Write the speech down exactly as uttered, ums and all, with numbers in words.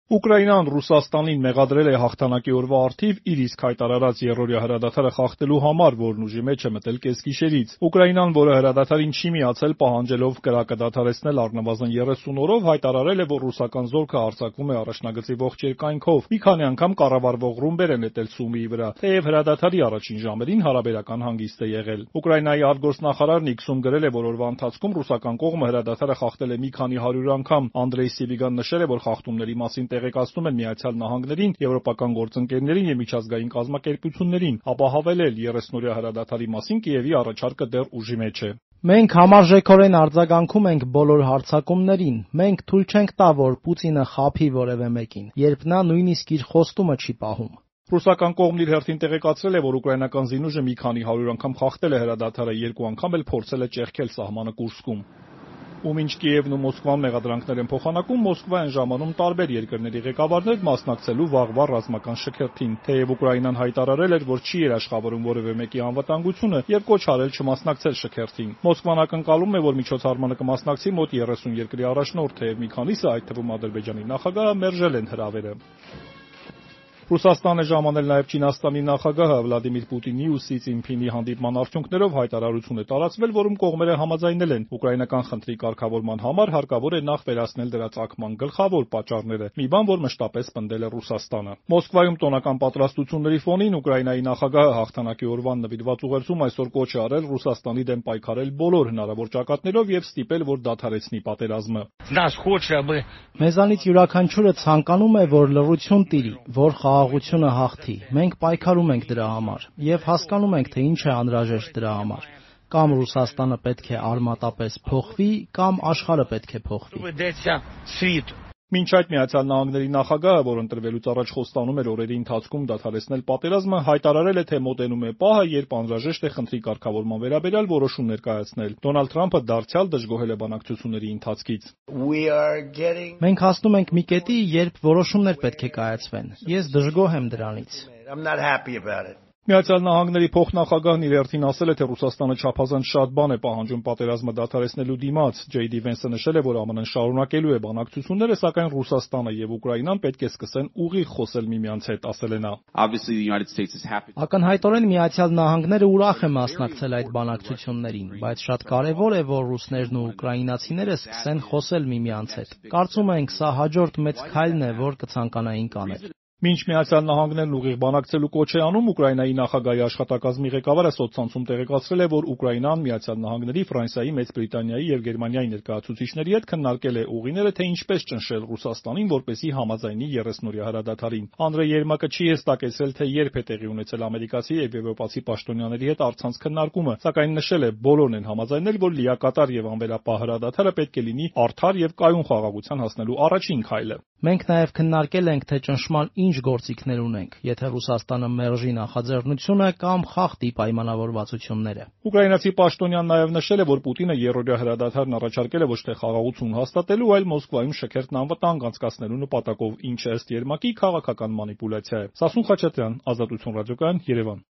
Ուկրաինան Ռուսաստանին մեղադրել է հաղթանակի օրվա առթիվ իր իսկ հայտարարած եռօրյա հրադադարը խախտելու համար, որն ուժի մեջ է մտել կեսգիշերից։ Ուկրաինան, որը հրադադարին չի միացել, պահանջելով կրակը դադարեցնել առնվազն երեսուն օրով, հայտարարել է, որ ռուսական զորքը հարձակվում է առաջնագծի ողջ երկայնքով։ Մի քանի անգամ կառավարվող ռումբեր են նետել Սումիի վրա, թեև հրադադարի առաջին ժամերին հարաբերական հանգիստ է եղել։ Ուկրաինայի արտգործնախարար Նիքսում գրել է, որ օրվա ընթացքում ռուսական կողմը հրադադարը խախտել է մի քանի հարյուր անգամ։ Անդրեյ Սիբիգան նշել է, որ խախտումների մասին տեղեկացնում են Միացյալ Նահանգներին, եվրոպական գործընկերներին և միջազգային կազմակերպություններին, ապահովել երեսնօրյա հրադադարի մասին Կիևի առաջարկը դեռ ուժի մեջ է։ Մենք համարժեքորեն արձագանքում ենք բոլոր հարձակումներին։ Մենք թույլ չենք տա, որ Պուտինը խաբի որևէ մեկին, երբ նա նույնիսկ իր խոստումը չի պահում։ Ռուսական կողմն իր հերթին տեղեկացրել է, որ ուկրաինական զինուժը մի քանի հարյուր անգամ խախտել է հրադադարը, երկու անգամ էլ փորձել է ճեղքել սահմանը Կուրսկում։ Ու մինչ Կիևն ու Մոսկվան մեղադրանքներ են փոխանակում, Մոսկվա են ժամանում տարբեր երկրների ղեկավարներ մասնակցելու վաղվա ռազմական շքերթին, թեև Ուկրաինան հայտարարել էր, որ չի երաշխավորում որևէ մեկի անվտանգությունը և կոչ արել չմասնակցել շքերթին։ Մոսկվան ակնկալում է, որ միջոցառմանը կմասնակցի մոտ երեսուն երկրի առաջնորդ, թեև մի քանիսը, այդ թվում Ադրբեջանի նախագահը, մերժել են հրավերը։ Ռուսաստան է ժամանել նաև Չինաստանի նախագահը Վլադիմիր Պուտինի ու Սի Ցզինփինի հանդիպման արդյունքներով հայտարարություն է տարածվել, որում կողմերը համաձայնել են ուկրաինական խնդրի կարգավորման համար հարկավոր է նախ վերացնել դրա ծագման գլխավոր պատճառները, մի բան, որ մշտապես պնդել է Ռուսաստանը։ Մոսկվայում տոնական պատրաստությունների ֆոնին Ուկրաինայի նախագահը հաղթանակի օրվան նվիրված ուղերձում այսօր կոչ է արել Ռուսաստանի դեմ պայքարել բոլոր հնարավոր ճակատներով և ստիպել, որ դադարեցնի պատերազմը։ Մեզանից յուրաքանչյուրը ցանկանում է, որ լռություն տիրի, որ խաղաղությունը հաղթի։ Մենք պայքարում ենք դրա համար և հասկանում ենք, թե ինչ է անհրաժեշտ դրա համար։ Կամ Ռուսաստանը պետք է արմատապես փոխվի, կամ աշխարհը պետք է փոխվի։ Մինչ այդ Միացյալ Նահանգների նախագահը, որ ընտրվելուց առաջ խոստանում էր օրերի ընթացքում դադարեցնել պատերազմը, հայտարարել է, թե մոտենում է պահը, երբ անհրաժեշտ է խնդրի կարգավորման վերաբերյալ որոշումներ կայացնել։ Դոնալդ Թրամփը դարձյալ դժգոհել է բանակցությունների ընթացքից։ Մենք հասնում ենք մի կետի, երբ որոշումներ պետք է կայացվեն։ Ես դժգոհ եմ դրանից։ Միացյալ Նահանգների փոխնախագահն իր հերթին ասել է, թե Ռուսաստանը չափազանց շատ բան է պահանջում պատերազմը դադարեցնելու դիմաց։ Ջեյ Դի Վենսը նշել է, որ ԱՄՆ-ն շարունակելու է բանակցությունները, սակայն Ռուսաստանը և Ուկրաինան պետք է սկսեն ուղիղ խոսել միմյանց հետ, ասել է նա։ Ակնհայտորեն Միացյալ Նահանգները ուրախ է մասնակցել այդ բանակցություններին, բայց շատ կարևոր է, որ ռուսներն ու ուկրաինացիները սկսեն խոսել միմյանց հետ։ Կարծում ենք, սա հաջորդ մեծ քայլն է, որ կցանկանայինք անել։ Մինչ Միացյալ Նահանգներն ուղիղ բանակցելու կոչ է անում, Ուկրաինայի նախագահի աշխատակազմի ղեկավարը սոցցանցում տեղեկացրել է, որ Ուկրաինան Միացյալ Նահանգների, Ֆրանսիայի, Մեծ Բրիտանիայի և Գերմանիայի ներկայացուցիչների հետ քննարկել է ուղիները, թե ինչպես ճնշել Ռուսաստանին, որպեսզի համաձայնի երեսնօրյա հրադադարին։ Անդրեյ Երմակը չի հստակեցրել, թե երբ է տեղի ունեցել ամերիկացի և եվրոպացի պաշտոնյաների հետ առցանց քննարկումը, սակայն նշել է, բոլորն են համաձայնել, որ լիակատար և անվերապահ հրադադարը պետք է լինի արդար և կայուն խաղաղության հասնելու առաջին քայլը։ Մենք նաև քննարկել ենք, թե ճնշման ինչ գործիքներ ունենք, եթե Ռուսաստանը մերժի նախաձեռնությունը կամ խախտի պայմանավորվածությունները։ Ուկրաինացի պաշտոնյան նաև նշել է, որ Պուտինը եռօրյա հրադադարն առաջարկել է ոչ թե խաղաղություն հաստատելու, այլ Մոսկվայում շքերթն անվտանգ անցկացնելու նպատակով, ինչը ըստ Երմակի քաղաքական մանիպուլյացիա է։ Սասուն Խաչատրյան, Ազատություն ռադիոկայան, Երևան։